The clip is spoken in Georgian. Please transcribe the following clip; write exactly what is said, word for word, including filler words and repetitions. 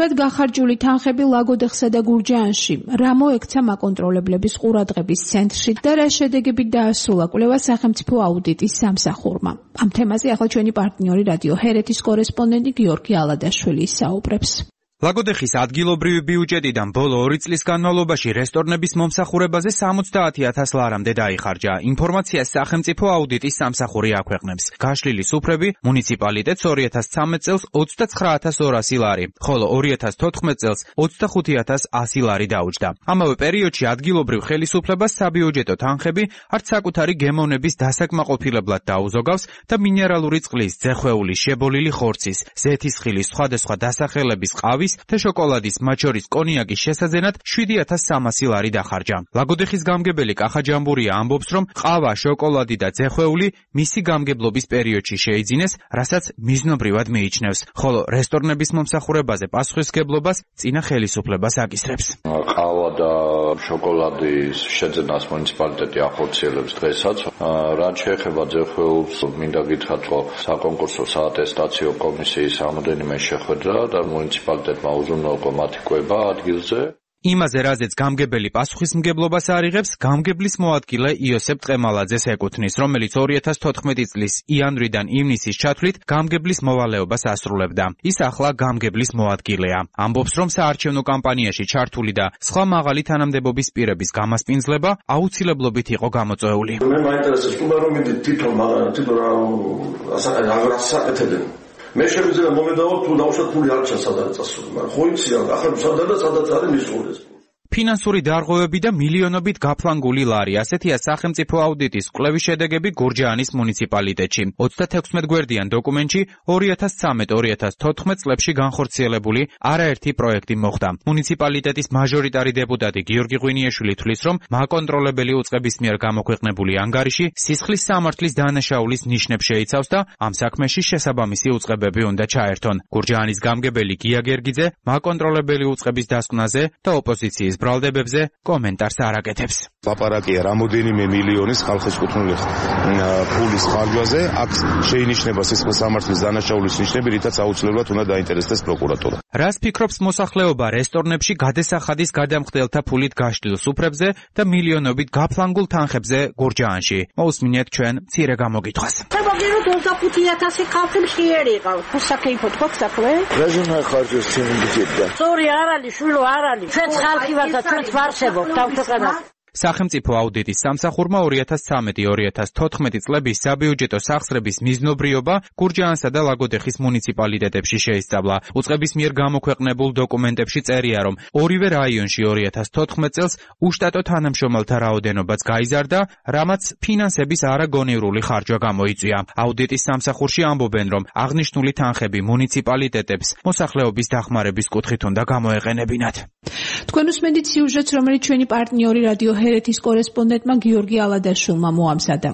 მიზნობრივად გახარჯული თანხები ლაგოდეხსა და გურჯაანში, რა მოექცა მაკონტროლებლების ყურადღების ცენტრში და რა შედეგებით დაასრულა კვლევა სახელმწიფო აუდიტის სამსახურმა. Ამ თემაზე ახლა ჩვენი პარტნიორი რადიო ჰერეთის კორესპონდენტი გიორგი ალადაშვილი ისაუბრებს. ლაგოდეხის ადგილობრივი ბიუჯეტიდან ბოლო ორი წლის განმავლობაში რესტორნების მომსახურებაზე სამოცდაათი ათას ლარამდე დაიხარჯა. ინფორმაციას სახელმწიფო აუდიტის სამსახური აქვეყნებს. გაშლილი სუფრები მუნიციპალიტეტს ორი ათას ცხრამეტ წელს ოცდაცხრა ათას ორასი ლარი, ხოლო ორი ათას თოთხმეტ წელს ოცდახუთი ათას ასი ლარი დაუჯდა. ამავე პერიოდში ადგილობრივ ხელისუფლებას საბიუჯეტო თანხები არც საკუთარი გემოვნების დასაკმაყოფილებლად დაუზოგავს და მინერალური წყლის, ძეხვეულის, შებოლილი ხორცის, ზეთისხილის სხვადასხვა დასახელების ყავის და შოკოლადის, მათ შორის კონიაკის შესაძენად შვიდი ათას სამასი ლარი დახარჯა. ლაგოდეხის გამგებელი კახა ჯამბურია ამბობს, რომ ყავა, შოკოლადი და ძეხვეული მისი გამგებლობის პერიოდში შეიძინეს, რასაც მიზნობრივად მიიჩნევს, ხოლო რესტორნების მომსახურებაზე პასუხისმგებლობას წინა ხელისუფლებას აკისრებს. ყავა და შოკოლადის შეძენას მუნიციპალიტეტი ახორციელებს დღესაც. რაც შეეხება ძეხვეულს, მინდა გითხრათ, რომ საკონკურსო საატესტაციო კომისიის რამოდენიმე შეხვედრა და მუნიციპალიტეტი უზრუნველყო მათი კვება ადგილზე. იმაზე, რაზეც გამგებელი პასუხისმგებლობას არიღებს, გამგებლის მოადგილე იოსებ ტყემალაძეს ეკუთვნის, რომელიც ორი ათას თოთხმეტი წლის იანვრიდან ივნისის ჩათვლით გამგებლის მოვალეობას ასრულებდა. ის ახლა გამგებლის მოადგილეა. ამბობს, რომ საარჩევნო კამპანიაში ჩართული და სხვა მაღალი თანამდებობის პირების გამასპინძლება აუცილებლობით იყო გამოწვეული. მე მაინტერესებს თუ რომ მიდი თვითონ თვითონ რა საკეთებენ. მე შემიძლია მომედავალ თუ დავუშვათ ფული არ ჩანს სადაც წასული, მაგრამ ხო იცი რა, ახლა სადაც და სადაც არის მისული. ფინანსური დარღვევები და მილიონობით გაფლანგული ლარი, ასეთია სახელმწიფო აუდიტის კვლევის შედეგები გურჯაანის მუნიციპალიტეტში. ოცდათექვსმეტ გვერდიან დოკუმენტში ორი ათას ცხრამეტ ორი ათას თოთხმეტ წლებში განხორციელებული არაერთი პროექტი მოხდა. მუნიციპალიტეტის მაჟორიტარი დეპუტატი გიორგი ღვინიაშვილი თვლის, რომ მაკონტროლებელი უწყების მიერ გამოქვეყნებული ანგარიში სისხლის სამართლის დანაშაულის ნიშნებს შეიცავს და ამ საქმეში შესაბამისი უწყებები უნდა ჩაერთონ. გურჯაანის გამგებელი გია გერგიძე მაკონტროლებელი უწყების დასკვნაზე და ოპოზიციის ბრალდებებზე კომენტარს არ აკეთებს. ლაპარაკია რამოდენიმე მილიონის ხალხის კუთვნილი ფულის ხარჯვაზე, აქ შეინიშნება სისხლის სამართლის დანაშაულის ნიშნები, რითაც აუცილებლად უნდა დაინტერესდეს პროკურატურა. რას ფიქრობს მოსახლეობა რესტორნებში გადასახადის გადამხდელთა ფულით გაშლილ სუფრებზე და მილიონობით გაფლანგულ თანხებზე გურჯაანში? მოусმინეთ ჩვენ მცირე გამოგითხვას. მოგიეროთ ოცდახუთი ათასი ხალხი მშიერი იყავ. საკეიფოთ ხო საქმე? რაზენა ხარჯოს ჩემი ბიჭებდა. სწორი არ არის, შვილო არ არის. ჩვენ ხალხი ვართ და ჩვენ ვარსებობთ თავთუყანა. სახელმწიფო აუდიტის სამსახურმა ორი ათას ცხრამეტი ორი ათას თოთხმეტი წლების საბიუჯეტო სახსრების მიზნობრიობა გურჯაანსა და ლაგოდეხის მუნიციპალიტეტებში შეისწავლა. უწყების მიერ გამოქვეყნებულ დოკუმენტებში წერია, რომ ორივე რაიონში ორი ათას თოთხმეტ წელს უშტატო თანამშრომელთა რაოდენობაც გაიზარდა, რამაც ფინანსების არაგონივრული ხარჯვა გამოიწვია. აუდიტის სამსახურში ამბობენ, რომ აღნიშნული თანხები მუნიციპალიტეტებს მოსახლეობის დახმარების კუთხით უნდა გამოეყენებინათ. თქვენ უსმენთ სიუჟეტს, რომელიც ჩვენი პარტნიორი რადიო ჰერეთის კორესპონდენტმა გიორგი ალადაშვილმა მოამზადა.